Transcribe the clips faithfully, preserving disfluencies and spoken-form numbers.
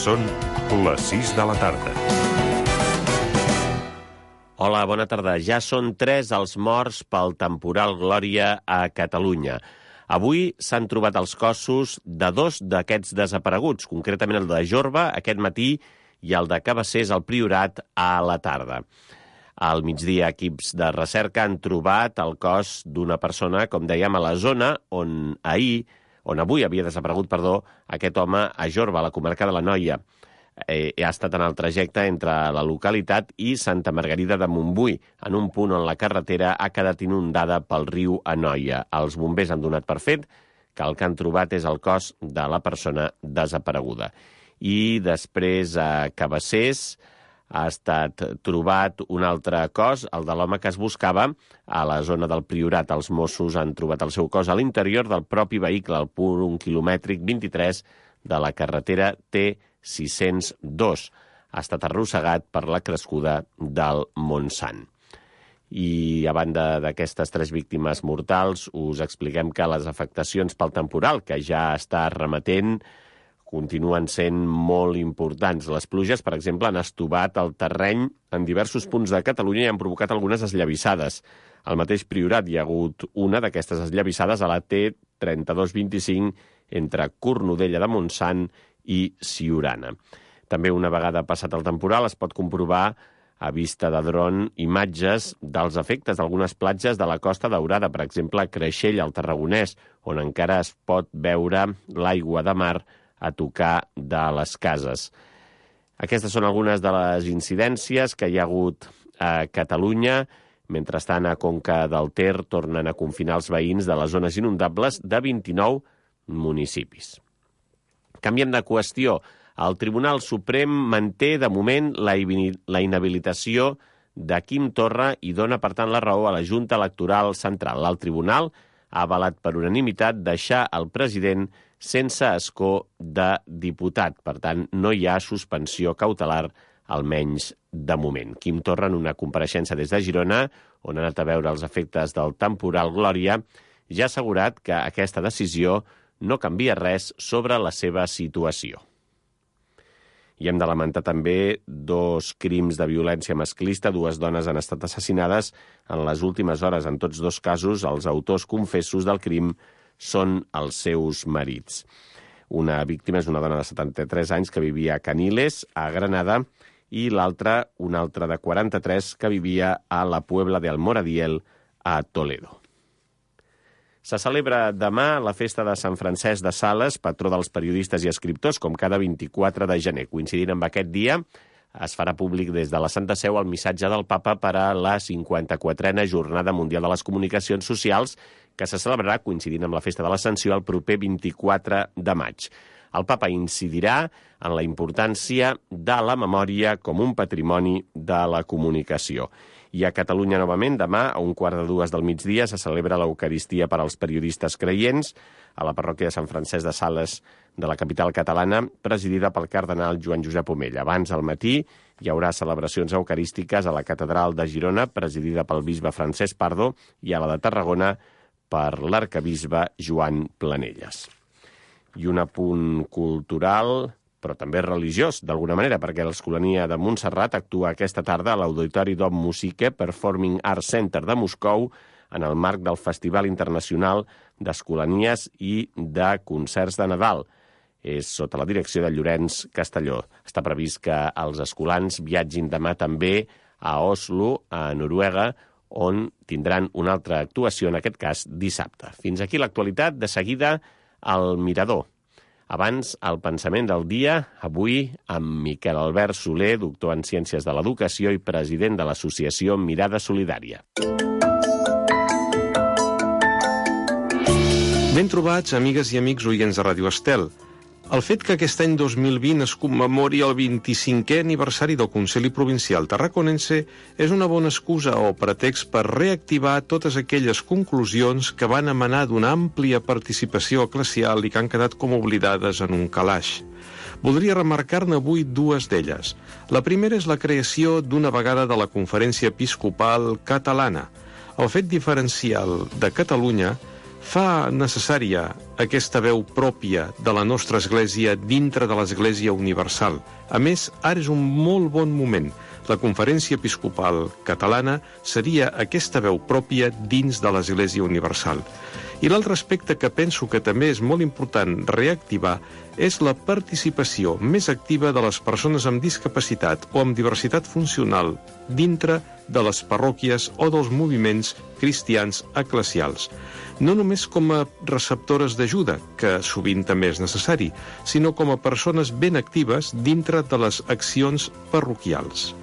Són les sis de la tarda. Hola, bona tarda. Ja són tres els morts pel temporal Glòria a Catalunya. Avui s'han trobat els cossos de dos d'aquests desapareguts, concretament el de Jorba aquest matí i el de Cabassers al Priorat a la tarda. Al migdia, equips de recerca han trobat el cos d'una persona, com dèiem, a la zona on ahir, on avui havia desaparegut, perdó, aquest home a Jorba, a la comarca de l'Anoia. Eh, ha estat en el trajecte entre la localitat i Santa Margarida de Montbui, en un punt on la carretera ha quedat inundada pel riu Anoia. Els bombers han donat per fet que el que han trobat és el cos de la persona desapareguda. I després a Cabassers ha estat trobat un altre cos, el de l'home que es buscava a la zona del Priorat. Els Mossos han trobat el seu cos a l'interior del propi vehicle, al punt quilomètric vint-i-tres de la carretera T sis cents dos. Ha estat arrossegat per la crescuda del Montsant. I a banda d'aquestes tres víctimes mortals, us expliquem que les afectacions pel temporal, que ja està remetent, continuen sent molt importants. Les pluges, per exemple, han estovat el terreny en diversos punts de Catalunya i han provocat algunes esllavissades. Al mateix Priorat hi ha hagut una d'aquestes esllavissades a la T trenta-dos vint-i-cinc entre Cornudella de Montsant i Siurana. També una vegada passat el temporal es pot comprovar a vista de dron imatges dels efectes d'algunes platges de la Costa Daurada, per exemple, a Creixell, al Tarragonès, on encara es pot veure l'aigua de mar a tocar de les cases. Aquestes són algunes de les incidències que hi ha hagut a Catalunya. Mentrestant, a Conca del Ter tornen a confinar els veïns de les zones inundables de vint-i-nou municipis. Canviem de qüestió. El Tribunal Suprem manté, de moment, la inhabilitació de Quim Torra i dona, per tant, la raó a la Junta Electoral Central. El Tribunal ha avalat per unanimitat deixar el president sense escó de diputat. Per tant, no hi ha suspensió cautelar, almenys de moment. Quim Torra, en una compareixença des de Girona, on ha anat a veure els efectes del temporal Glòria, ja ha assegurat que aquesta decisió no canvia res sobre la seva situació. I hem de lamentar també dos crims de violència masclista. Dues dones han estat assassinades en les últimes hores. En tots dos casos, els autors confessos del crim són els seus marits. Una víctima és una dona de setanta-tres anys que vivia a Caniles, a Granada, i l'altra, una altra de quaranta-tres, que vivia a la Puebla de Almoradiel, a Toledo. Se celebra demà la festa de Sant Francesc de Sales, patró dels periodistes i escriptors, com cada vint-i-quatre de gener. Coincidint amb aquest dia, es farà públic des de la Santa Seu el missatge del Papa per a la cinquanta-quatrena Jornada Mundial de les Comunicacions Socials, que se celebrarà coincidint amb la festa de l'Ascensió el proper vint-i-quatre de maig. El Papa incidirà en la importància de la memòria com un patrimoni de la comunicació. I a Catalunya, novament, demà, a un quart de dues del migdia, se celebra l'Eucaristia per als periodistes creients a la parròquia de Sant Francesc de Sales de la capital catalana, presidida pel cardenal Joan Josep Omella. Abans, al matí, hi haurà celebracions eucarístiques a la catedral de Girona, presidida pel bisbe Francesc Pardo, i a la de Tarragona per l'arcabisbe Joan Planelles. I un apunt cultural, però també religiós, d'alguna manera, perquè l'Escolania de Montserrat actua aquesta tarda a l'Auditori Dom Musique Performing Arts Center de Moscou en el marc del Festival Internacional d'Escolanies i de Concerts de Nadal. És sota la direcció de Llorenç Castelló. Està previst que els escolans viatgin demà també a Oslo, a Noruega, on tindran una altra actuació, en aquest cas dissabte. Fins aquí l'actualitat, de seguida al Mirador. Abans, el pensament del dia, avui amb Miquel Albert Soler, doctor en Ciències de l'Educació i president de l'associació Mirada Solidària. Ben trobats, amigues i amics oients de Ràdio Estel. El fet que aquest any dos mil vint es commemori el vint-i-cinquè aniversari del Consell Provincial Tarraconense és una bona excusa o pretext per reactivar totes aquelles conclusions que van emanar d'una àmplia participació eclesial i que han quedat com oblidades en un calaix. Voldria remarcar-ne avui dues d'elles. La primera és la creació d'una vegada de la Conferència Episcopal Catalana. El fet diferencial de Catalunya fa necessària aquesta veu pròpia de la nostra Església dintre de l'Església Universal. A més, ara és un molt bon moment. La Conferència Episcopal Catalana seria aquesta veu pròpia dins de l'Església Universal. I l'altre aspecte que penso que també és molt important reactivar és la participació més activa de les persones amb discapacitat o amb diversitat funcional dintre de les parròquies o dels moviments cristians eclesials. No només com a receptores d'ajuda, que sovint també és necessari, sinó com a persones ben actives dintre de les accions parroquials.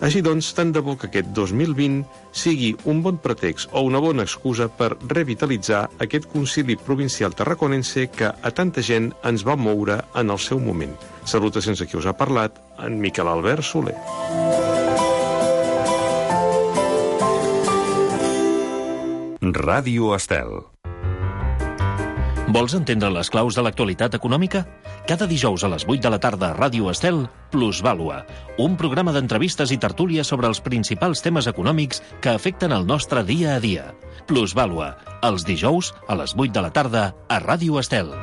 Així doncs, tant de bo que aquest dos mil vint sigui un bon pretext o una bona excusa per revitalitzar aquest concili provincial tarraconense que a tanta gent ens va moure en el seu moment. Salutacions a qui us ha parlat, en Miquel Albert Soler. Ràdio Estel. Vols entendre les claus de l'actualitat econòmica? Cada dijous a les vuit de la tarda a Ràdio Estel, Plusvàlua, un programa d'entrevistes i tertúlies sobre els principals temes econòmics que afecten el nostre dia a dia. Plusvàlua, els dijous a les vuit de la tarda a Ràdio Estel.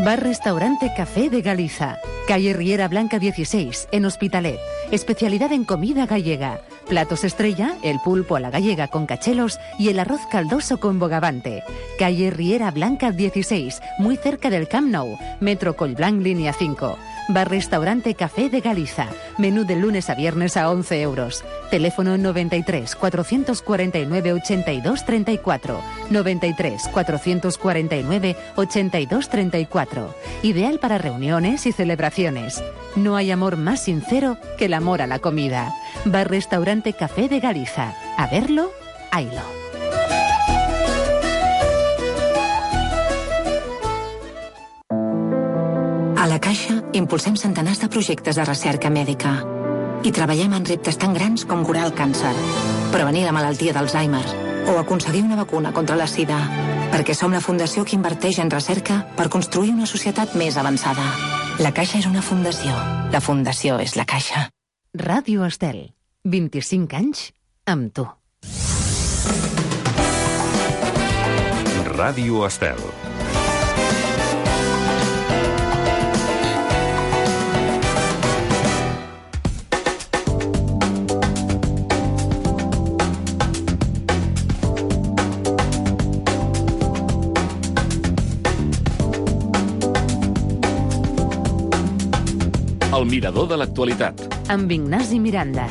Bar-Restaurante Café de Galiza. Calle Riera Blanca dieciséis, en Hospitalet. Especialidad en comida gallega. Platos estrella, el pulpo a la gallega con cachelos y el arroz caldoso con bogavante. Calle Riera Blanca dieciséis, muy cerca del Camp Nou. Metro Collblanc, línea cinco. Bar-Restaurante Café de Galiza. Menú de lunes a viernes a once euros. Teléfono noventa y tres, cuatrocientos cuarenta y nueve, ochenta y dos, treinta y cuatro. noventa y tres, cuatrocientos cuarenta y nueve, ochenta y dos, treinta y cuatro. Ideal para reuniones y celebraciones. No hay amor más sincero que el amor a la comida. Bar-Restaurante Café de Galiza. A verlo, haylo. A la Caixa impulsem centenars de projectes de recerca mèdica i treballem en reptes tan grans com curar el càncer, prevenir la malaltia d'Alzheimer o aconseguir una vacuna contra la sida, perquè som la fundació que inverteix en recerca per construir una societat més avançada. La Caixa és una fundació. La fundació és la Caixa. Ràdio Estel. vint-i-cinc anys amb tu. Ràdio Estel. El mirador de l'actualitat. Amb Ignasi Miranda.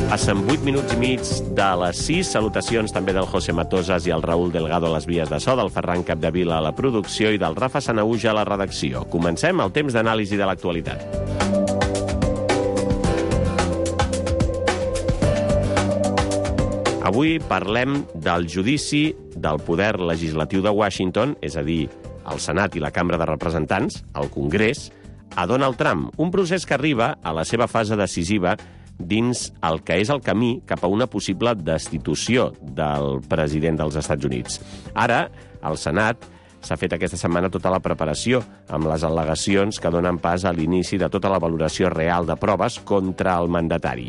Passen vuit minuts i mig de les sis. Salutacions també del José Matosas i el Raúl Delgado a les vies de so, del Ferran Capdevila a la producció i del Rafa Sanaúja a la redacció. Comencem el temps d'anàlisi de l'actualitat. Avui parlem del judici del poder legislatiu de Washington, és a dir, el Senat i la Cambra de Representants, el Congrés, a Donald Trump, un procés que arriba a la seva fase decisiva dins el que és el camí cap a una possible destitució del president dels Estats Units. Ara, al Senat s'ha fet aquesta setmana tota la preparació amb les al·legacions que donen pas a l'inici de tota la valoració real de proves contra el mandatari.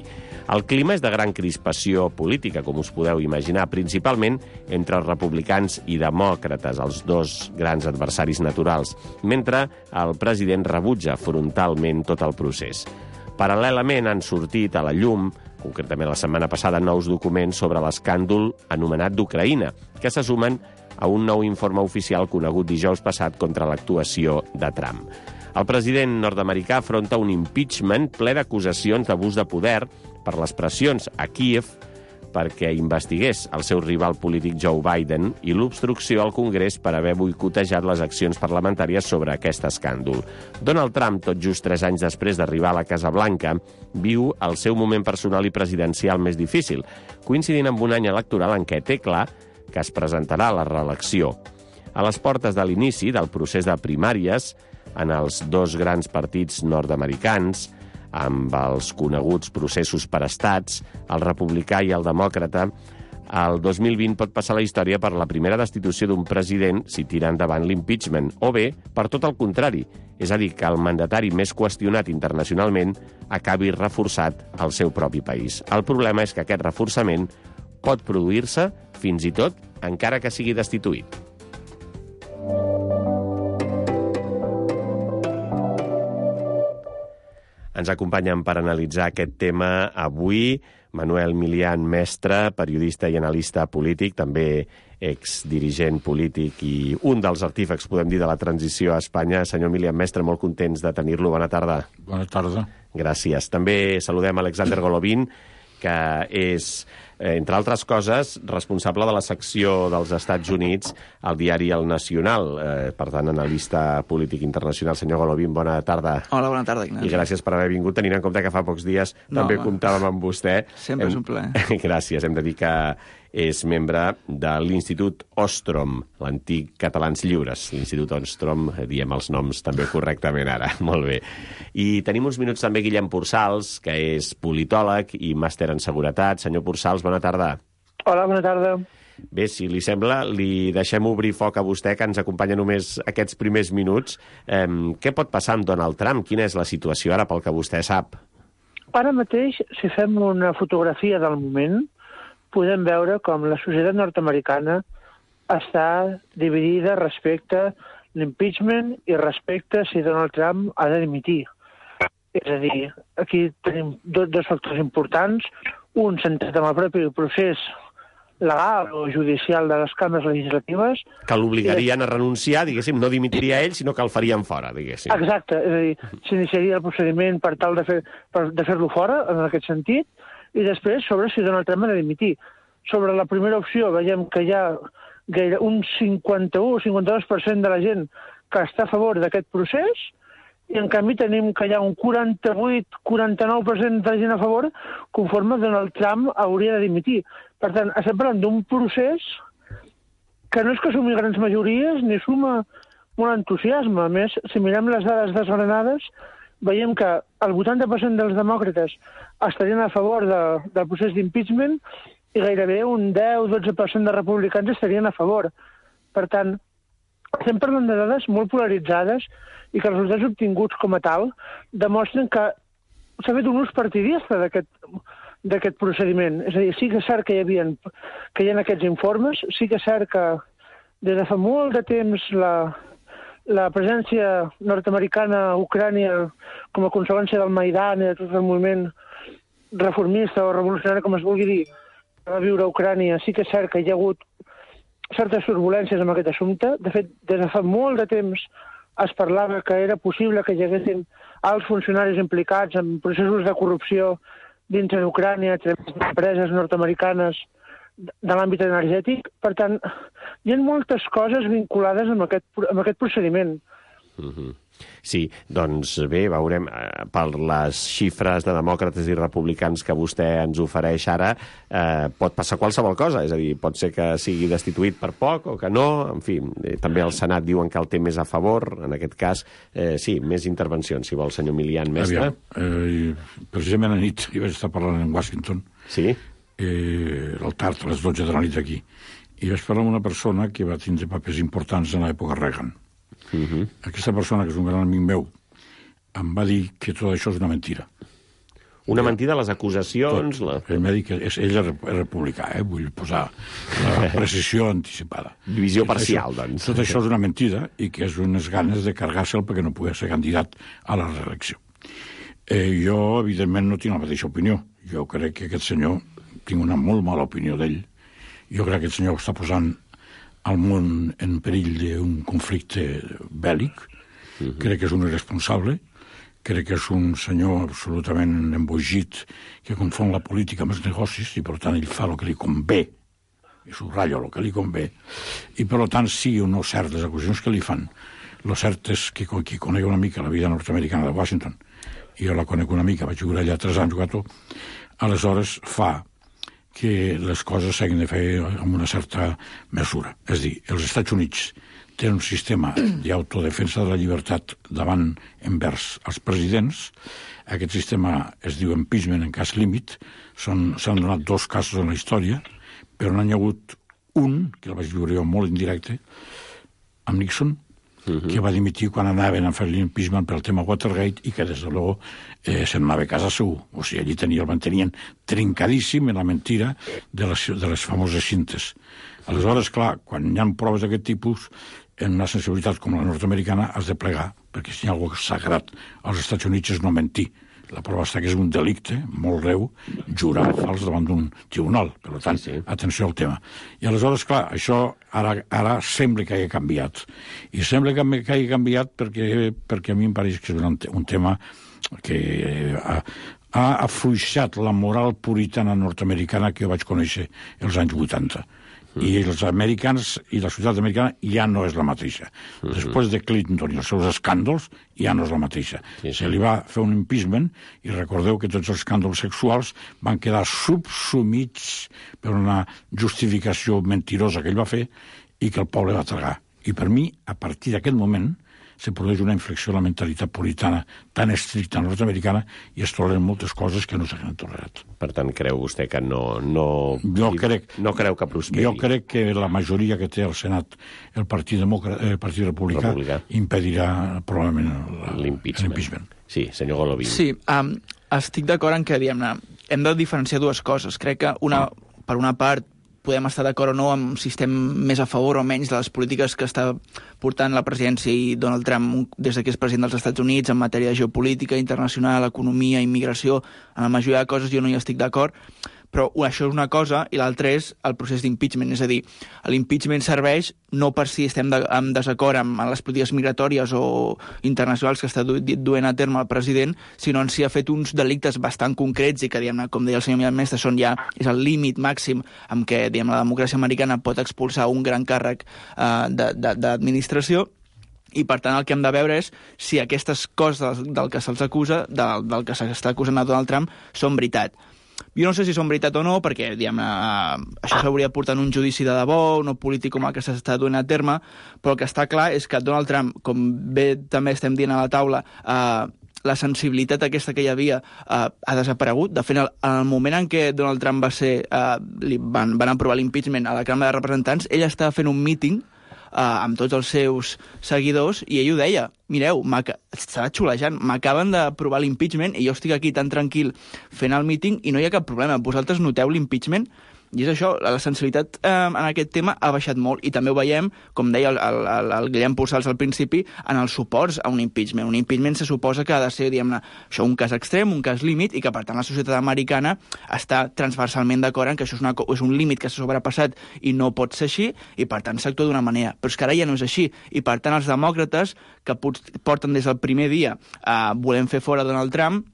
El clima és de gran crispació política, com us podeu imaginar, principalment entre els republicans i demòcrates, els dos grans adversaris naturals, mentre el president rebutja frontalment tot el procés. Paral·lelament han sortit a la llum, concretament la setmana passada, nous documents sobre l'escàndol anomenat d'Ucraïna, que se sumen a un nou informe oficial conegut dijous passat contra l'actuació de Trump. El president nord-americà afronta un impeachment ple d'acusacions d'abús de poder per les pressions a Kíev perquè investigués el seu rival polític Joe Biden i l'obstrucció al Congrés per haver boicotejat les accions parlamentàries sobre aquest escàndol. Donald Trump, tot just tres anys després d'arribar a la Casa Blanca, viu el seu moment personal i presidencial més difícil, coincidint amb un any electoral en què té clar que es presentarà a la reelecció. A les portes de l'inici del procés de primàries, en els dos grans partits nord-americans, amb els coneguts processos per estats, el republicà i el demòcrata, el dos mil vint pot passar a la història per la primera destitució d'un president si tira endavant l'impeachment, o bé, per tot el contrari, és a dir, que el mandatari més qüestionat internacionalment acabi reforçat al seu propi país. El problema és que aquest reforçament pot produir-se, fins i tot, encara que sigui destituït. Ens acompanyen per analitzar aquest tema avui Manuel Milian, mestre, periodista i analista polític, també exdirigent polític i un dels artífex, podem dir, de la transició a Espanya. Senyor Milian, mestre, molt contents de tenir-lo. Bona tarda. Bona tarda. Gràcies. També saludem Alexander Golovin, que és, entre altres coses, responsable de la secció dels Estats Units al diari El Nacional. Eh, per tant, analista polític internacional. Senyor Golovin, bona tarda. Hola, bona tarda, Ignasi. I gràcies per haver vingut, tenint en compte que fa pocs dies no, també home. comptàvem amb vostè. Sempre hem... és un plaer. Gràcies. Hem de dir que és membre de l'Institut Ostrom, l'antic Catalans Lliures. L'Institut Ostrom, diem els noms també correctament ara. Molt bé. I tenim uns minuts també Guillem Pursals, que és politòleg i màster en seguretat. Senyor Pursals, bona tarda. Hola, bona tarda. Bé, si li sembla, li deixem obrir foc a vostè, que ens acompanya només aquests primers minuts. Eh, què pot passar amb Donald Trump? Quina és la situació ara, pel que vostè sap? Ara mateix, si fem una fotografia del moment, podem veure com la societat nord-americana està dividida respecte a l'impeachment i respecte a si Donald Trump ha de dimitir. És a dir, aquí tenim dos, dos factors importants. Un centrat en el propi procés legal o judicial de les cambres legislatives. Que l'obligarien a renunciar, diguéssim, no dimitiria ell, sinó que el farien fora, diguéssim. Exacte, és a dir, s'iniciaria el procediment per tal de fer, per, de fer-lo fora, en aquest sentit, i després sobre si Donald Trump ha de dimitir. Sobre la primera opció veiem que hi ha gaire un cinquanta-u o cinquanta-dos per cent de la gent que està a favor d'aquest procés, i en canvi tenim que hi ha un quaranta-vuit a quaranta-nou per cent de la gent a favor conforme Donald Trump hauria de dimitir. Per tant, estem parlant d'un procés que no és que sumi grans majories ni suma molt entusiasme. A més, si mirem les dades desgranades, veiem que el vuitanta per cent dels demòcrates estarien a favor de, del procés d'impeachment i gairebé un deu a dotze per cent de republicans estarien a favor. Per tant, estem parlant de dades molt polaritzades i que els resultats obtinguts com a tal demostren que s'ha fet un ús partidista d'aquest procediment. És a dir, sí que és cert que hi havia, que hi ha aquests informes, sí que és cert que des de fa molt de temps la... la presència nord-americana a Ucrània com a conseqüència del Maidan i de tot el moviment reformista o revolucionari, com es vulgui dir, que va viure a Ucrània, sí que és cert que hi ha hagut certes turbulències amb aquest assumpte. De fet, des de fa molt de temps es parlava que era possible que hi haguessin alts funcionaris implicats en processos de corrupció dins d'Ucrània, a través d'empreses nord-americanes de l'àmbit energètic. Per tant, hi ha moltes coses vinculades amb aquest, amb aquest procediment. Mm-hmm. Sí, doncs bé, veurem, eh, per les xifres de demòcrates i republicans que vostè ens ofereix ara, eh, pot passar qualsevol cosa, és a dir, pot ser que sigui destituït per poc o que no, en fi, eh, també el Senat diuen que el té més a favor, en aquest cas, eh, sí, més intervencions, si vol, senyor Milian, mestre. Aviam, eh, precisament a nit jo vaig estar parlant en Washington, sí? eh, al tard, a les dotze de la nit aquí, i vaig parlar amb una persona que va tindre papers importants en l'època Reagan. Uh-huh. Aquesta persona, que és un gran amic meu, em va dir que tot això és una mentira. Una mentida, les acusacions... La... Ell m'ha dit que és, ell és republicà, eh? Vull posar la precisió anticipada. Divisió tot parcial, això, doncs. Tot això és una mentida i que és unes ganes de cargar-se'l perquè no pugui ser candidat a la reelecció. Eh, jo, evidentment, no tinc la mateixa opinió. Jo crec que aquest senyor, tinc una molt mala opinió d'ell. Jo crec que aquest senyor està posant al món en perill d'un conflicte bèl·lic Uh-huh. Crec que és un irresponsable, crec que és un senyor absolutament embogit que confon la política amb els negocis i, per tant, ell fa el que li convé, i subratllo el que li convé, i, per tant, sí o no certes acusacions que li fan. Lo cert és que qui coneix una mica la vida nord-americana de Washington, i jo la conec una mica, vaig jugar allà tres anys, jugat, aleshores fa que les coses s'hagin de fer amb una certa mesura. És a dir, els Estats Units tenen un sistema d'autodefensa de la llibertat davant envers els presidents. Aquest sistema es diu impeachment en cas límit. S'han donat dos casos en la història, però n'hi ha hagut un, que el vaig viure jo molt indirecte, amb Nixon, uh-huh. que va dimitir quan anaven a fer l'impeachment pel tema Watergate i que, des de luego, eh, se'n anava a casa seu. O sigui, allí tenia, el mantenien trincadíssim en la mentira de les, de les famoses cintes. Aleshores, clar, quan hi ha proves d'aquest tipus, en una sensibilitat com la nord-americana has de plegar, perquè si hi ha alguna cosa sagrat als Estats Units és no mentir. La prova està que és un delicte molt greu jurar fals davant d'un tribunal. Per tant, sí, sí. Atenció al tema. I aleshores, clar, això ara, ara sembla que hagi canviat. I sembla que, que hagi canviat perquè, perquè a mi em pareix que és un, un tema que ha, ha afluixat la moral puritana nord-americana que jo vaig conèixer els anys vuitanta. I els americans i la societat americana ja no és la mateixa. Uh-huh. Després de Clinton i els seus escàndols, ja no és la mateixa. Sí, sí. Se li va fer un impeachment i recordeu que tots els escàndols sexuals van quedar subsumits per una justificació mentirosa que ell va fer i que el poble va tragar. I per mi, a partir d'aquest moment, se produeix una inflexió a la mentalitat puritana tan estricta nord-americana i es toleren moltes coses que no s'han tolerat. Per tant, creu vostè que no, no, jo crec, no creu que prosperi? Jo crec que la majoria que té al Senat el Partit, Demòcrata, el Partit Republicà, Republicà impedirà probablement l'impeachment. Sí, senyor Golovin. Sí, um, estic d'acord en que diguem-ne, hem de diferenciar dues coses. Crec que una, per una part podem estar d'acord o no amb si estem més a favor o menys de les polítiques que està portant la presidència i Donald Trump des que és president dels Estats Units en matèria de geopolítica, internacional, economia, immigració. En la majoria de coses jo no hi estic d'acord, però això és una cosa i l'altra és el procés d'impeachment. És a dir, l'impeachment serveix no per si estem de, en desacord amb, amb les polítiques migratòries o internacionals que està du, duent a terme el president, sinó en si ha fet uns delictes bastant concrets i que, diguem-ne, com deia el senyor Mestre, són ja, és el límit màxim amb què, diguem, la democràcia americana pot expulsar un gran càrrec eh, de, de, d'administració. I, per tant, el que hem de veure és si aquestes coses del, del que se'ls acusa, del, del que s'està acusant a Donald Trump, són veritat. Jo no sé si són veritat o no, perquè, diguem, eh, això s'hauria de portar en un judici de debò, no polític com el que s'està duent a terme, però el que està clar és que Donald Trump, com bé també estem dient a la taula, eh, la sensibilitat aquesta que hi havia eh, ha desaparegut. De fet, en el moment en què Donald Trump va ser, eh, li van, van aprovar l'impeachment a la Cambra de Representants, ell estava fent un míting Uh, amb tots els seus seguidors, i ell ho deia, mireu, estava xulejant, m'acaben d'aprovar l'impeachment i jo estic aquí tan tranquil fent el míting i no hi ha cap problema, vosaltres noteu l'impeachment? I és això, la sensibilitat eh, en aquest tema ha baixat molt, i també ho veiem, com deia el, el, el Guillem Pujals al principi, en els suports a un impeachment. Un impeachment se suposa que ha de ser, diguem-ne, això, un cas extrem, un cas límit, i que, per tant, la societat americana està transversalment d'acord en que això és, una, és un límit que s'ha sobrepassat i no pot ser així, i, per tant, s'actua d'una manera. Però és que ara ja no és així, i, per tant, els demòcrates, que porten des del primer dia eh, volem fer fora Donald Trump,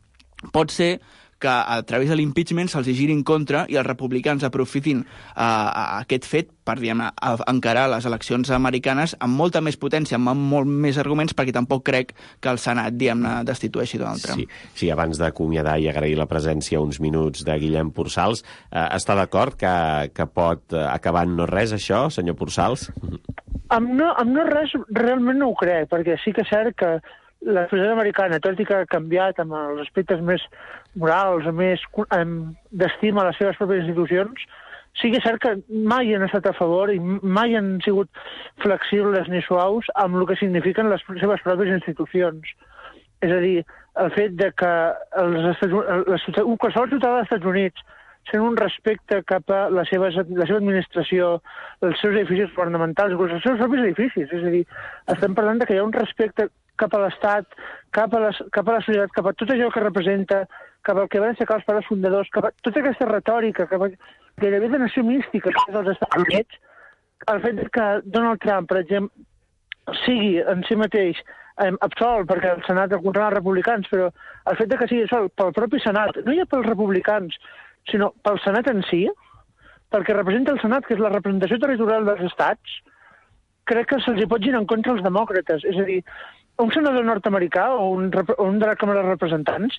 pot ser que a través de l'impeachment se'ls giri en contra i els republicans aprofitin uh, aquest fet per, diguem, encarar les eleccions americanes amb molta més potència, amb molt més arguments, perquè tampoc crec que el Senat, diguem-ne, destitueixi Donald Trump. Sí, sí, abans d'acomiadar i agrair la presència uns minuts de Guillem Pujals, eh, està d'acord que, que pot acabar en no res, això, senyor Pujals? Amb no, amb no res realment no ho crec, perquè sí que és cert que la societat americana, tot i que ha canviat amb els aspectes més morals, més d'estima a les seves pròpies institucions, sí que és cert que mai han estat a favor i mai han sigut flexibles ni suaus amb el que signifiquen les seves pròpies institucions. És a dir, el fet de que els Estats, un qualsevol ciutadà dels Estats Units sent un respecte cap a la seva, la seva administració, els seus edificis governamentals, inclús els seus propis edificis. És a dir, estem parlant de que hi ha un respecte cap a l'Estat, cap a, les, cap a la societat, cap a tot allò que representa, cap al que van aixecar els pares fundadors, cap a tota aquesta retòrica, cap a gairebé de nació mística que és dels Estats Units, el fet que Donald Trump, per exemple, sigui en si mateix eh, absolt, perquè el Senat el controlen els republicans, però el fet de que sigui sol pel propi Senat, no ja pels republicans, sinó pel Senat en si, perquè representa el Senat, que és la representació territorial dels estats, crec que se'ls hi pot girar en contra els demòcrates. És a dir, un senador nord-americà o un, o un de la Càmera de Representants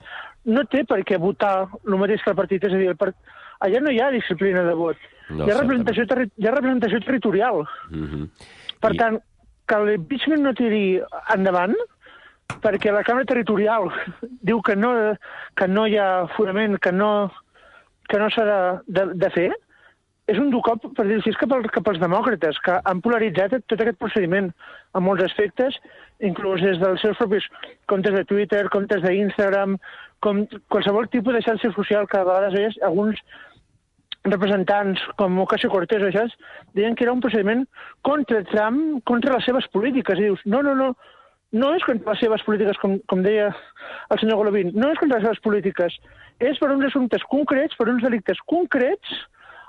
no té per què votar el mateix que el partit. És a dir, el part... allà no hi ha disciplina de vot. No, hi, ha representació terri... hi ha representació territorial. Mm-hmm. Per I... tant, que l'impeachment no tiri endavant, perquè la Càmera Territorial diu que no, que no hi ha fonament, que no, que no s'ha de, de, de fer, és un dur cop, per dir-ho així, cap, al, cap als demòcrates, que han polaritzat tot aquest procediment en molts aspectes, inclús des dels seus propis comptes de Twitter, comptes d'Instagram, com qualsevol tipus de xarxa social que a vegades veies alguns representants com Ocasio-Cortez o això, deien que era un procediment contra Trump, contra les seves polítiques. I dius, no, no, no, no és contra les seves polítiques, com, com deia el senyor Golovin, no és contra les seves polítiques, és per uns assumptes concrets, per uns delictes concrets,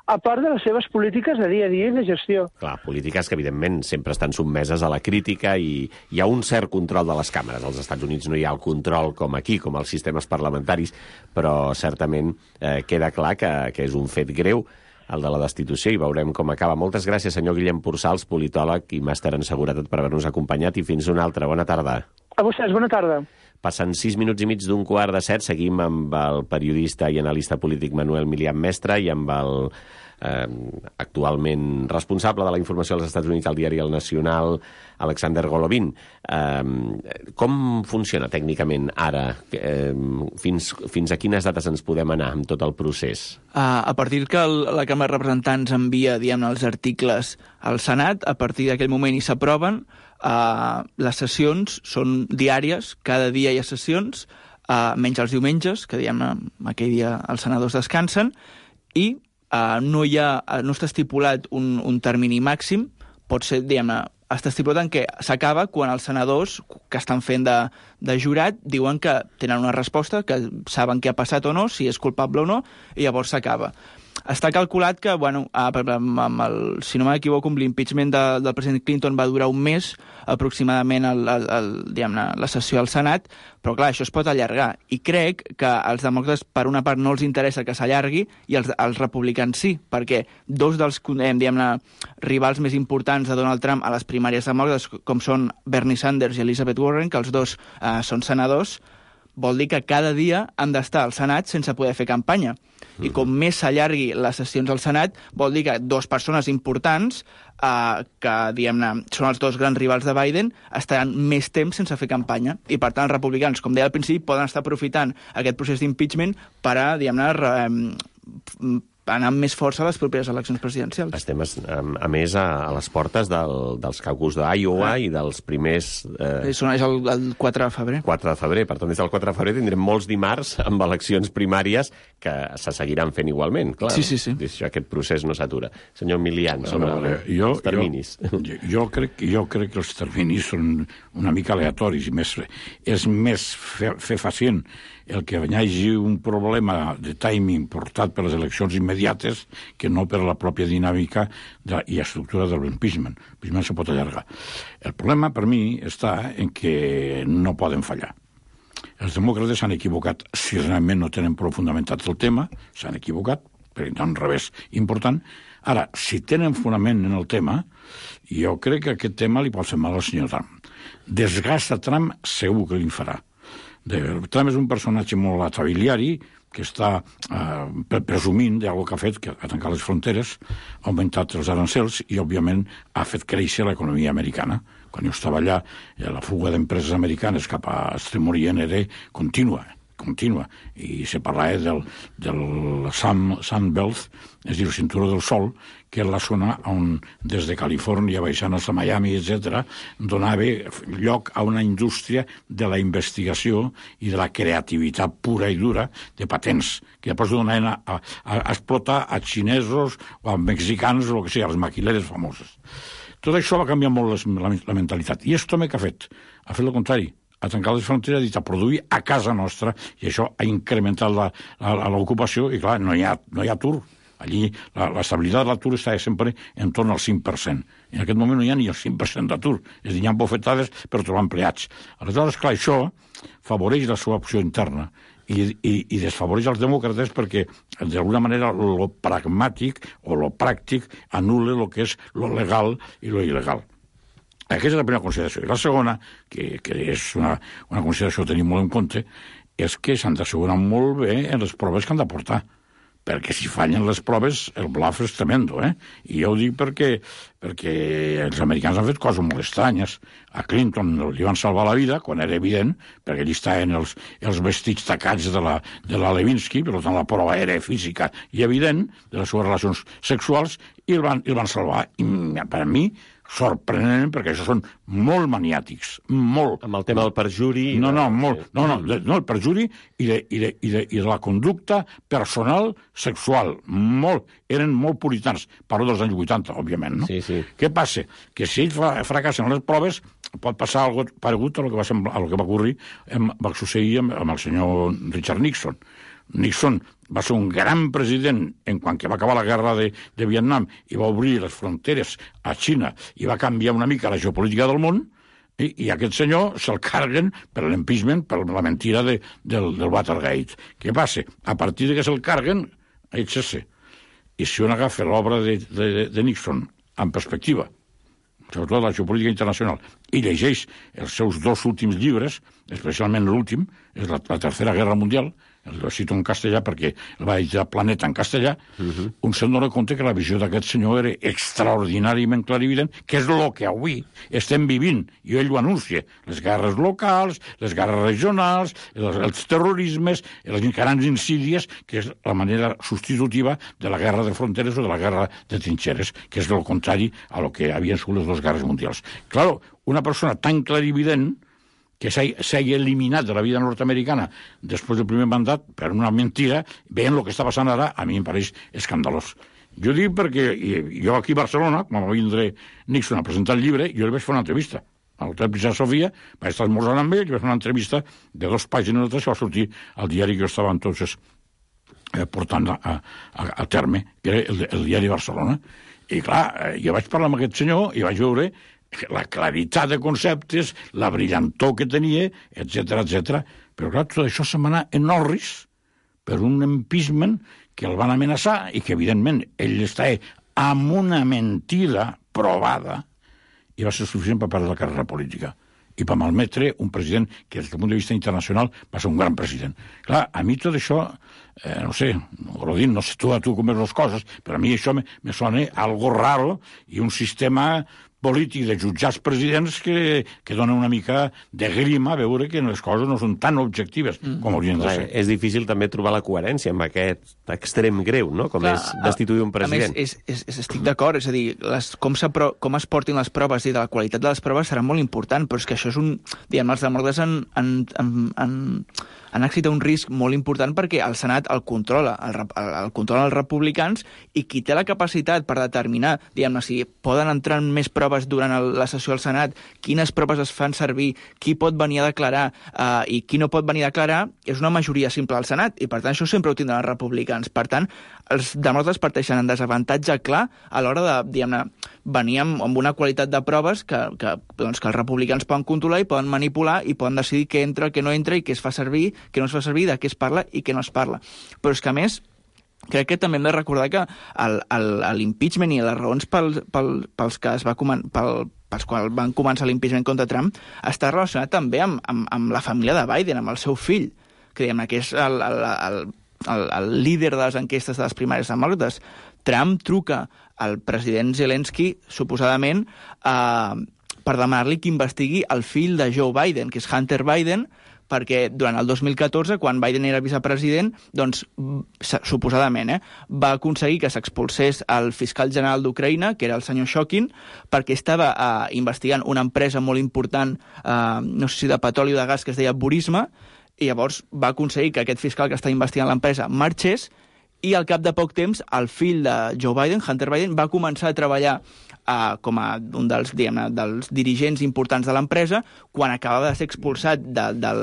a part de les seves polítiques de dia a dia i de gestió. Clar, polítiques que, evidentment, sempre estan sotmeses a la crítica i hi ha un cert control de les càmeres. Als Estats Units no hi ha el control com aquí, com als sistemes parlamentaris, però certament eh, queda clar que, que és un fet greu el de la destitució i veurem com acaba. Moltes gràcies, senyor Guillem Pursals, politòleg i màster en seguretat, per haver-nos acompanyat i fins una altra. Bona tarda. A vostès, bona tarda. Passen sis minuts i mig d'un quart de set. Seguim amb el periodista i analista polític Manuel Milian Mestre i amb el eh, actualment responsable de la informació als Estats Units al diari El Nacional, Alexander Golovin. Eh, com funciona tècnicament ara? Eh, fins, fins a quines dates ens podem anar amb tot el procés? Uh, a partir que el, la Càmera de Representants envia, diguem-ne, els articles al Senat, a partir d'aquell moment hi s'aproven. Uh, les sessions són diàries, cada dia hi ha sessions, uh, menys els diumenges, que diguem-ne, aquell dia els senadors descansen, i uh, no hi ha, no està estipulat un, un termini màxim, pot ser, diguem-ne, està estipulat en què s'acaba quan els senadors que estan fent de, de jurat diuen que tenen una resposta, que saben què ha passat o no, si és culpable o no, i llavors s'acaba. Està calculat que, bueno, amb el, si no m'equivoco, amb l'impeachment de, del president Clinton va durar un mes aproximadament el, el, el, diguem-ne, la sessió al Senat, però clar, això es pot allargar. I crec que als demòcrates, per una part, no els interessa que s'allargui i els, els republicans sí, perquè dos dels, diguem-ne, rivals més importants de Donald Trump a les primàries demòcrates, com són Bernie Sanders i Elizabeth Warren, que els dos eh, són senadors, vol dir que cada dia han d'estar al Senat sense poder fer campanya. I com més s'allargui les sessions al Senat, vol dir que dues persones importants, eh, que, diguem-ne, són els dos grans rivals de Biden, estaran més temps sense fer campanya. I, per tant, els republicans, com deia al principi, poden estar aprofitant aquest procés d'impeachment per a, diguem-ne, eh, anar amb més força a les properes eleccions presidencials. Estem, a, a més, a, a les portes del, dels caucus d'Iowa ah. i dels primers... Eh... És el, el quatre de febrer. quatre de febrer. Per tant, des del quatre de febrer tindrem molts dimarts amb eleccions primàries que se seguiran fent igualment, clar. Sí, sí, sí. Aquest procés no s'atura. Senyor Milian, sobre no, vale. jo, els terminis. Jo, jo, crec, jo crec que els terminis són una mica aleatoris i més, és més fe, fe facient el que hi hagi un problema de timing portat per les eleccions immediates que no per la pròpia dinàmica de, i estructura de l'impeachment. L'impeachment se pot allargar. El problema, per mi, està en que no poden fallar. Els demòcrates s'han equivocat si realment no tenen prou fundamentat el tema, s'han equivocat, perquè hi ha un revés important. Ara, si tenen fonament en el tema, jo crec que aquest tema li pot fer mal al senyor Trump. Desgasta Trump segur que li farà. Trump és un personatge molt atabiliari que està eh, presumint d'algo que ha fet, que ha tancat les fronteres, ha augmentat els arancels i, òbviament, ha fet créixer l'economia americana. Quan jo estava allà, la fuga d'empreses americanes cap a Extrem Orient era contínua, contínua. I se parlava del, del Sun, Sun Belt, és a dir, el cinturó del sol, que és la zona on, des de Califòrnia, baixant a Miami, etcètera, donava lloc a una indústria de la investigació i de la creativitat pura i dura de patents, que després donaven a, a, a explotar a xinesos o a mexicans o el que sigui, a les maquileres famoses. Tot això va canviar molt les, la, la mentalitat. I esto m'he que ha fet? Ha fet el contrari. Ha tancat les fronteres, ha dit a produir a casa nostra, i això ha incrementat l'ocupació, i clar, no hi ha, no hi ha atur. Allí l'estabilitat de l'atur està sempre en torn al cinc per cent. En aquest moment no hi ha ni el cinc per cent d'atur. És a dir, hi ha bofetades per trobar empleats. Aleshores, clar, això favoreix la seva opció interna i, i, i desfavoreix els demòcrates perquè, d'alguna manera, lo pragmàtic o lo pràctic anul·la el que és lo legal i lo il·legal. Aquesta és la primera consideració. I la segona, que, que és una, una consideració a tenir molt en compte, és que s'han d'assegurar molt bé en les proves que han de portar. Perquè si fallen les proves, el bluff és tremendo, eh? I jo ho dic perquè, perquè els americans han fet coses molt estranyes. A Clinton li van salvar la vida, quan era evident, perquè allí estaven els, els vestits tacats de la, de la Lewinsky, per tant la prova era física i evident de les seves relacions sexuals, i el van, el van salvar. I per a mi, sorprenent, perquè això són molt maniàtics, molt. Amb el tema del perjuri... No, no, molt. No, no, no el perjuri i de, i de, i de, i de la conducta personal sexual. Molt. Eren molt puritans. Parlo dels anys vuitanta, òbviament, no? Sí, sí. Què passa? Que si ells fracassen les proves, pot passar algo paregut a lo que va, semblar, a lo que va ocórrer, va succeir amb, amb el senyor Richard Nixon. Nixon va ser un gran president en quan que va acabar la guerra de, de Vietnam i va obrir les fronteres a Xina i va canviar una mica la geopolítica del món, i, i aquest senyor se'l carguen per l'impeachment, per la mentira de, del, del Watergate. Què passa? A partir de que se'l carguen, eixa-se. I si un agafa l'obra de, de, de Nixon en perspectiva, sobretot la geopolítica internacional, i llegeix els seus dos últims llibres, especialment l'últim, és la, la Tercera Guerra Mundial, el cito en castellà perquè el va editar Planeta en castellà, uh-huh. un se'n dona compte que la visió d'aquest senyor era extraordinàriament clarivident, que és el que avui estem vivint, i ell ho anuncia, les guerres locals, les guerres regionals, els, els terrorismes, les grans insídies, que és la manera substitutiva de la guerra de fronteres o de la guerra de trinxeres, que és el contrari a lo que havien sigut les dues guerres mundials. Claro, una persona tan clarivident que s'ha eliminat de la vida nord-americana després del primer mandat per una mentira, veient el que està passant ara, a mi em pareix escandalós. Jo dic perquè jo aquí a Barcelona, quan va vindre Nixon a presentar el llibre, jo li vaig fer una entrevista. A l'hotel Princesa Sofia, vaig estar esmorzant amb ell, li vaig fer una entrevista de dos pàgines o tres que va sortir al diari que jo estava entonces eh, portant a, a, a terme, que era el, el diari Barcelona. I clar, jo vaig parlar amb aquest senyor i vaig veure la claritat de conceptes, la brillantor que tenia, etcètera, etcètera. Però clar, tot això se m'anà en orris per un impeachment que el van amenaçar i que, evidentment, ell està amb una mentida provada i va ser suficient per perdre la carrera política i per malmetre un president que, des del punt de vista internacional, va ser un gran president. Clar, a mi tot això, eh, no sé, Rodin, no sé tu a tu com veus les coses, però a mi això me, me sona algo raro i un sistema polític de jutjats presidents que, que dona una mica de grima a veure que les coses no són tan objectives mm. com haurien de ser. Clar, és difícil també trobar la coherència amb aquest extrem greu, no? Com Clar, és destituir un president. A més, és, és, és, estic d'acord, és a dir, les, com, com es portin les proves i de la qualitat de les proves serà molt important, però és que això és un... Diguem, els demòcrates han, han, han, han, han acceptat un risc molt important perquè el Senat el controla, el, el, el controlen els republicans, i qui té la capacitat per determinar, diguem-ne, si poden entrar en més proves durant el, la sessió al Senat, quines proves es fan servir, qui pot venir a declarar eh, i qui no pot venir a declarar, és una majoria simple al Senat, i per tant això sempre ho tindran els republicans. Per tant, els demòcrates parteixen en desavantatge clar a l'hora de, diguem-ne, venir amb, amb una qualitat de proves que, que, doncs, que els republicans poden controlar i poden manipular i poden decidir què entra, què no entra i què es fa servir, què no es fa servir, de què es parla i què no es parla. Però és que, a més, crec que també hem de recordar que l'impeachment i les raons pel, pel, pels que es va pel, pels quals van començar l'impeachment contra Trump està relacionat també amb, amb, amb la família de Biden, amb el seu fill, que, diguem, que és el, el, el, el, el líder de les enquestes de les primàries demòcrates. Trump truca al president Zelensky, suposadament, eh, per demanar-li que investigui el fill de Joe Biden, que és Hunter Biden, perquè durant el dos mil catorze, quan Biden era vicepresident, doncs, suposadament, eh, va aconseguir que s'expulsés el fiscal general d'Ucraïna, que era el senyor Shokin, perquè estava eh, investigant una empresa molt important, eh, no sé si de petroli o de gas, que es deia Burisma, i llavors va aconseguir que aquest fiscal que està investigant l'empresa marxés, i al cap de poc temps el fill de Joe Biden, Hunter Biden, va començar a treballar Uh, com a un dels, diguem-ne, dels dirigents importants de l'empresa quan acabava de ser expulsat de, del,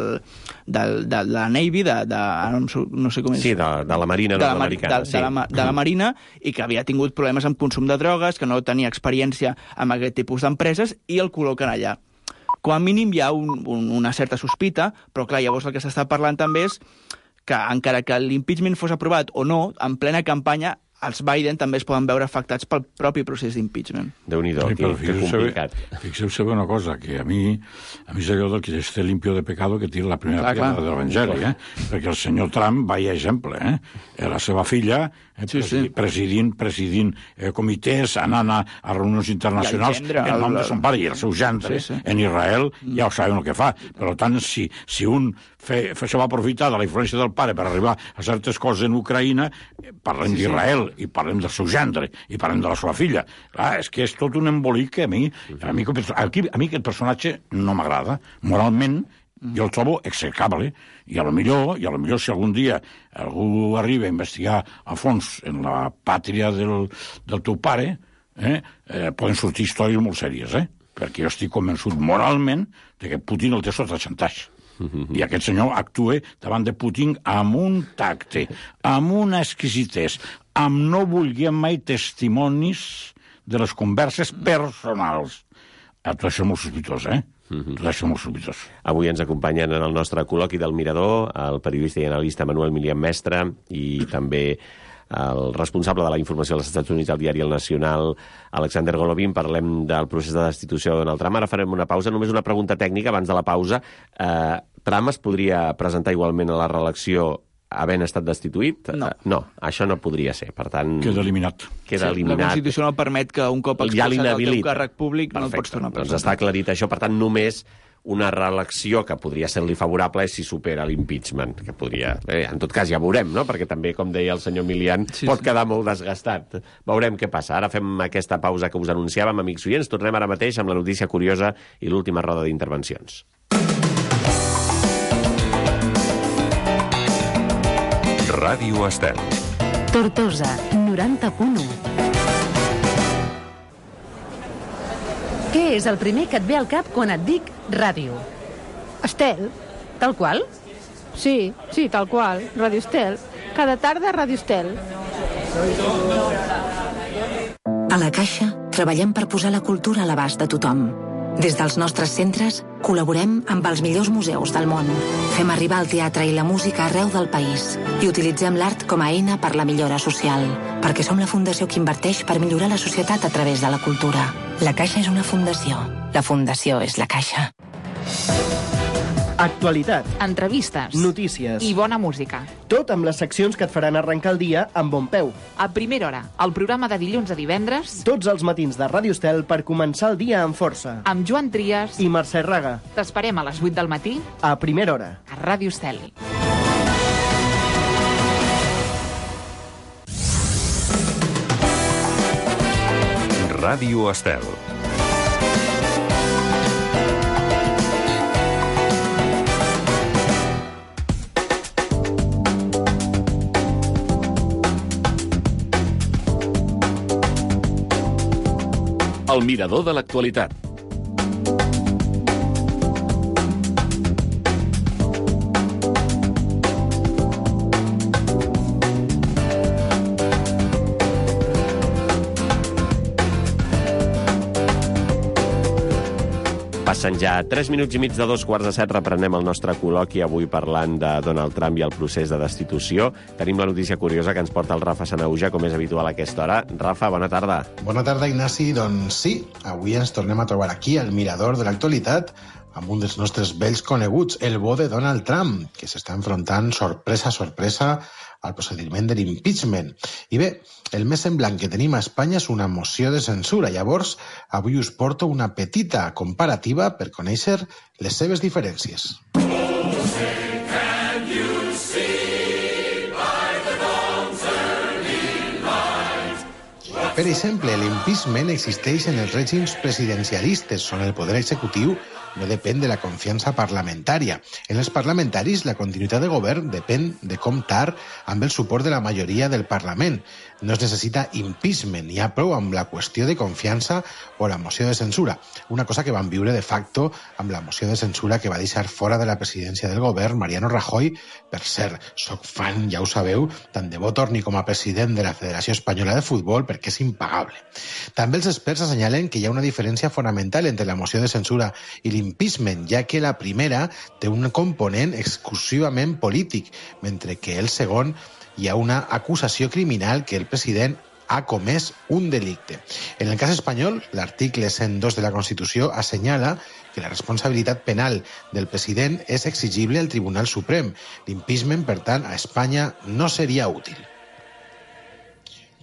del, de, de la Navy, de, de, no, no sé com és... Sí, de, de la Marina nord-americana. De, de, de, la, de la Marina, i que havia tingut problemes amb consum de drogues, que no tenia experiència amb aquest tipus d'empreses, i el col·loquen allà. Com a mínim hi ha un, un, una certa sospita, però clar, llavors el que s'està parlant també és que encara que l'impeachment fos aprovat o no, en plena campanya, els Biden també es poden veure afectats pel propi procés d'impeachment. Déu-n'hi-do, sí, que, que complicat. Fixeu-se una cosa, que a mi, a mi és allò del que esté limpio de pecado que tira la primera piedra de l'Evangeli, eh? Perquè el senyor Trump, vaya exemple, eh? La seva filla, eh, sí, sí. presidint, presidint eh, comitès, anant a, a reunions internacionals, gendre, en nom el... de son pare i el seu gendre, sí, sí. en Israel, mm. ja ho saben el que fa. Per tant, si, si un fe, fe, se va aprofitar de la influència del pare per arribar a certes coses en Ucraïna, parlem sí, d'Israel, sí. i parlem del seu gendre, i parlem de la seva filla. Clar, és que és tot un embolic que a mi, a mi, a mi, a mi aquest personatge no m'agrada. Moralment, jo el trobo execrable, i a lo millor, i a lo millor si algun dia algú arriba a investigar a fons en la pàtria del, del teu pare, eh, eh, poden sortir històries molt sèries, eh? Perquè jo estic convençut moralment de que Putin el té sota xantatge. I aquest senyor actua davant de Putin amb un tacte, amb una exquisitès, amb no voler mai testimonis de les converses personals. Tot això és molt sospitós, eh? Tot això és molt sospitós. Avui ens acompanyen en el nostre col·loqui del Mirador el periodista i analista Manuel Milian Mestre i també el responsable de la informació dels Estats Units al diari El Nacional, Alexander Golovin. Parlem del procés de destitució de Donald Trump. Ara farem una pausa. Només una pregunta tècnica abans de la pausa. Eh, Trump es podria presentar igualment a la reelecció havent estat destituït? No. Uh, no, això no podria ser. Per tant... Queda eliminat. Queda sí, eliminat. La Constitució no permet que un cop expulsat ja del teu càrrec públic no el pots tornar a presentar. Doncs està aclarit això. Per tant, només una reelecció que podria ser-li favorable és si supera l'impeachment, que podria... Eh, en tot cas, ja veurem, no? Perquè també, com deia el senyor Milian, sí, pot sí. quedar molt desgastat. Veurem què passa. Ara fem aquesta pausa que us anunciàvem, amics oients. Tornem ara mateix amb la notícia curiosa i l'última roda d'intervencions. Ràdio Estel. Tortosa, noranta punt u. Què és el primer que et ve al cap quan et dic ràdio? Estel. Tal qual? Sí, sí, tal qual. Ràdio Estel. Cada tarda Ràdio Estel. A la Caixa treballem per posar la cultura a l'abast de tothom. Des dels nostres centres col·laborem amb els millors museus del món. Fem arribar el teatre i la música arreu del país i utilitzem l'art com a eina per la millora social, perquè som la fundació que inverteix per millorar la societat a través de la cultura. La Caixa és una fundació. La fundació és la Caixa. Actualitat, entrevistes, notícies i bona música. Tot amb les seccions que et faran arrencar el dia amb bon peu. A primera hora, el programa de dilluns a divendres. Tots els matins de Ràdio Estel per començar el dia amb força. Amb Joan Trias i Mercè Raga. T'esperem a les vuit del matí. A primera hora. A Ràdio Estel. Ràdio Estel. El mirador de l'actualitat. Passen ja tres minuts i mig de dos quarts de set. Reprenem el nostre col·loqui avui parlant de Donald Trump i el procés de destitució. Tenim la notícia curiosa que ens porta el Rafa Sanauja, com és habitual a aquesta hora. Rafa, bona tarda. Bona tarda, Ignasi. Doncs sí, avui ens tornem a trobar aquí, al mirador de l'actualitat, amb un dels nostres vells coneguts, el bo de Donald Trump, que s'està enfrontant sorpresa a sorpresa al procediment de l'impeachment. I bé, el més semblant que tenim a Espanya és una moció de censura. Llavors, avui us porto una petita comparativa per conèixer les seves diferències. Per exemple, l'impeachment existeix en els règims presidencialistes, on el poder executiu no depèn de la confiança parlamentària. En els parlamentaris, la continuïtat de govern depèn de comptar amb el suport de la majoria del Parlament. No es necessita impeachment, hi ha prou amb la qüestió de confiança o la moció de censura, una cosa que van viure de facto amb la moció de censura que va deixar fora de la presidència del govern Mariano Rajoy. Per cert, soc fan, ja ho sabeu, tant de bo torni com a president de la Federació Espanyola de Futbol perquè és impagable. També els experts assenyalen que hi ha una diferència fonamental entre la moció de censura i l'impeachment, ja que la primera té un component exclusivament polític, mentre que el segon hi ha una acusació criminal que el president ha comès un delicte. En el cas espanyol, l'article cent dos de la Constitució assenyala que la responsabilitat penal del president és exigible al Tribunal Suprem. L'impeachment, per tant, a Espanya no seria útil.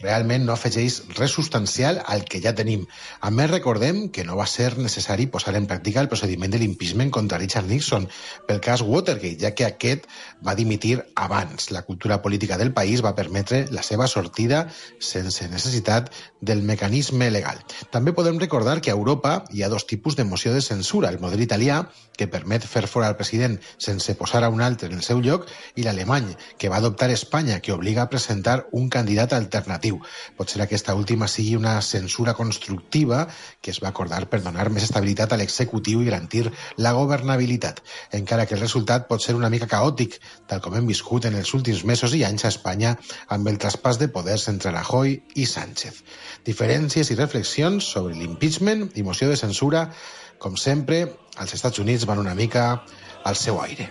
Realment no afegeix res substancial al que ja tenim. A més, recordem que no va ser necessari posar en pràctica el procediment de l'impeachment contra Richard Nixon pel cas Watergate, ja que aquest va dimitir abans. La cultura política del país va permetre la seva sortida sense necessitat del mecanisme legal. També podem recordar que a Europa hi ha dos tipus de moció de censura, el model italià, que permet fer fora el president sense posar a un altre en el seu lloc, i l'alemany, que va adoptar Espanya, que obliga a presentar un candidat alternatiu. Potser aquesta última sigui una censura constructiva que es va acordar per donar més estabilitat a l'executiu i garantir la governabilitat, encara que el resultat pot ser una mica caòtic, tal com hem viscut en els últims mesos i anys a Espanya amb el traspàs de poders entre Rajoy i Sánchez. Diferències i reflexions sobre l'impeachment i moció de censura, com sempre, als Estats Units van una mica al seu aire.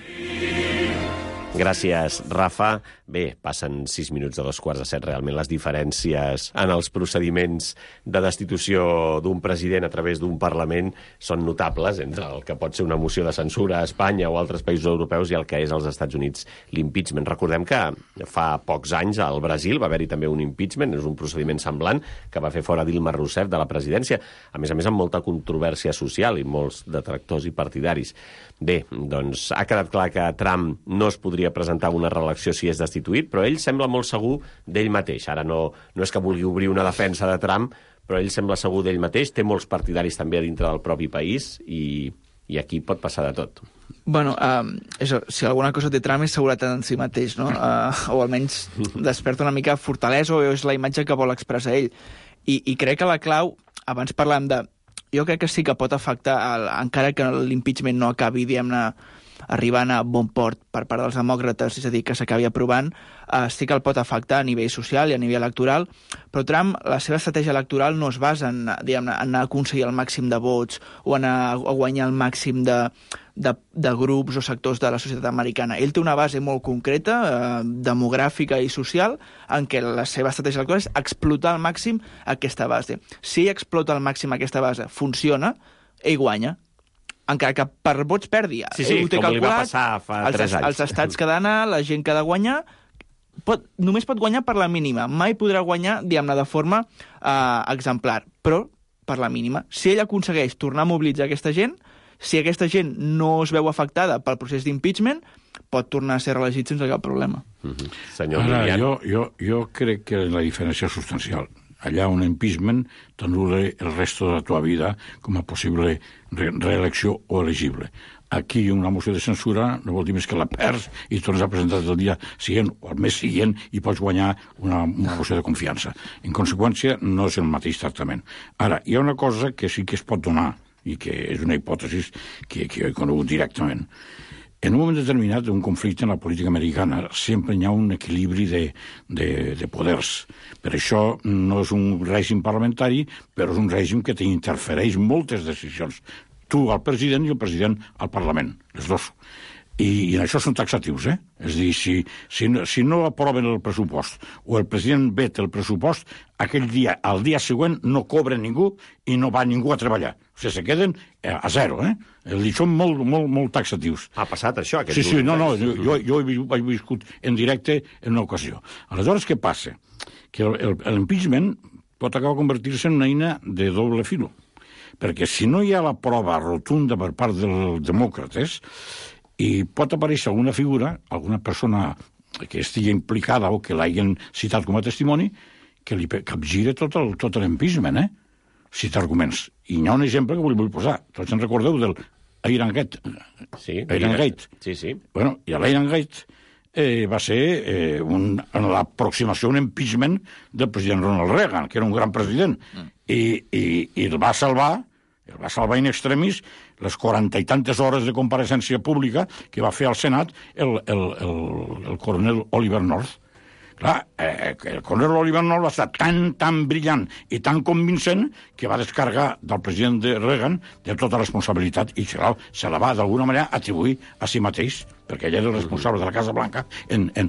Gràcies, Rafa. Bé, passen sis minuts de dos quarts de set. Realment les diferències en els procediments de destitució d'un president a través d'un Parlament són notables entre el que pot ser una moció de censura a Espanya o altres països europeus i el que és als Estats Units l'impeachment. Recordem que fa pocs anys al Brasil va haver-hi també un impeachment, és un procediment semblant, que va fer fora Dilma Rousseff de la presidència, a més a més amb molta controvèrsia social i molts detractors i partidaris. Bé, doncs ha quedat clar que Trump no es podria presentar una reelecció si és destituït, però ell sembla molt segur d'ell mateix. Ara no, no és que vulgui obrir una defensa de Trump, però ell sembla segur d'ell mateix, té molts partidaris també a dintre del propi país i, i aquí pot passar de tot. Bueno, uh, això, si alguna cosa té Trump és seguretat en si mateix, no? Uh, o almenys desperta una mica fortalesa o és la imatge que vol expressar ell. I, i crec que la clau, abans parlàvem de... Jo crec que sí que pot afectar, el, encara que l'impeachment no acabi, diguem-ne, arribant a bon port per part dels demòcrates, és a dir, que s'acabi aprovant, eh, sí que el pot afectar a nivell social i a nivell electoral, però Trump, la seva estratègia electoral no es basa en, diguem-ne, en aconseguir el màxim de vots o en a, a guanyar el màxim de, de, de grups o sectors de la societat americana. Ell té una base molt concreta, eh, demogràfica i social, en què la seva estratègia electoral és explotar al màxim aquesta base. Si ell explota al màxim aquesta base, funciona, ell guanya. Encara que per vots perdi. Sí, sí, com calculat, li va passar fa els, tres anys. Els estats que ha d'anar, la gent que ha de guanyar, pot, només pot guanyar per la mínima. Mai podrà guanyar, diguem-ne, de forma eh, exemplar, però per la mínima. Si ell aconsegueix tornar a mobilitzar aquesta gent, si aquesta gent no es veu afectada pel procés d'impeachment, pot tornar a ser reelegit sense cap problema. Mm-hmm. Senyor Ara, Milian. jo, jo, jo crec que la diferència és substancial. Allà un impeachment t'anul·la el resto de la teva vida com a possible re reelecció o elegible. Aquí una moció de censura no vol dir més que la perds i tornes a presentar el dia següent o el mes següent i pots guanyar una, una moció de confiança. En conseqüència, no és el mateix tractament. Ara, hi ha una cosa que sí que es pot donar i que és una hipòtesi que, que he conegut directament. En un moment determinat d'un conflicte en la política americana sempre hi ha un equilibri de, de, de poders. Per això no és un règim parlamentari, però és un règim que t'interfereix moltes decisions. Tu al president i el president al Parlament, les dos. I, i en això són taxatius, eh? És a dir, si, si, si no aproven el pressupost o el president veta el pressupost, aquell dia, al dia següent, no cobra ningú i no va ningú a treballar. O sigui, se queden a zero, eh? I són molt, molt, molt taxatius. Ha passat això, aquest Sí, sí, no, no, jo, jo he viscut en directe en una ocasió. Aleshores, què passa? Que l'impeachment pot acabar convertir-se en una eina de doble filo. Perquè si no hi ha la prova rotunda per part dels demòcrates, i pot aparèixer alguna figura, alguna persona que estigui implicada o que l'hagin citat com a testimoni, que li capgira tot l'impeachment, eh? Si t'arguments. I hi ha un exemple que vull, vull posar. Tots en recordeu del Irangate. Sí, Irangate. Sí, sí. Bueno, i l'Irangate eh, va ser eh, un, l'aproximació, un impeachment del president Ronald Reagan, que era un gran president, mm. I, i, i el va salvar, el va salvar in extremis les quaranta i tantes hores de compareixença pública que va fer al Senat el, el, el, el coronel Oliver North. Clar, eh, el coronel Oliver North va estar tan, tan brillant i tan convincent que va descarregar del president de Reagan de tota responsabilitat i clar, se la va d'alguna manera atribuir a si mateix, perquè ell era el responsable de la Casa Blanca en, en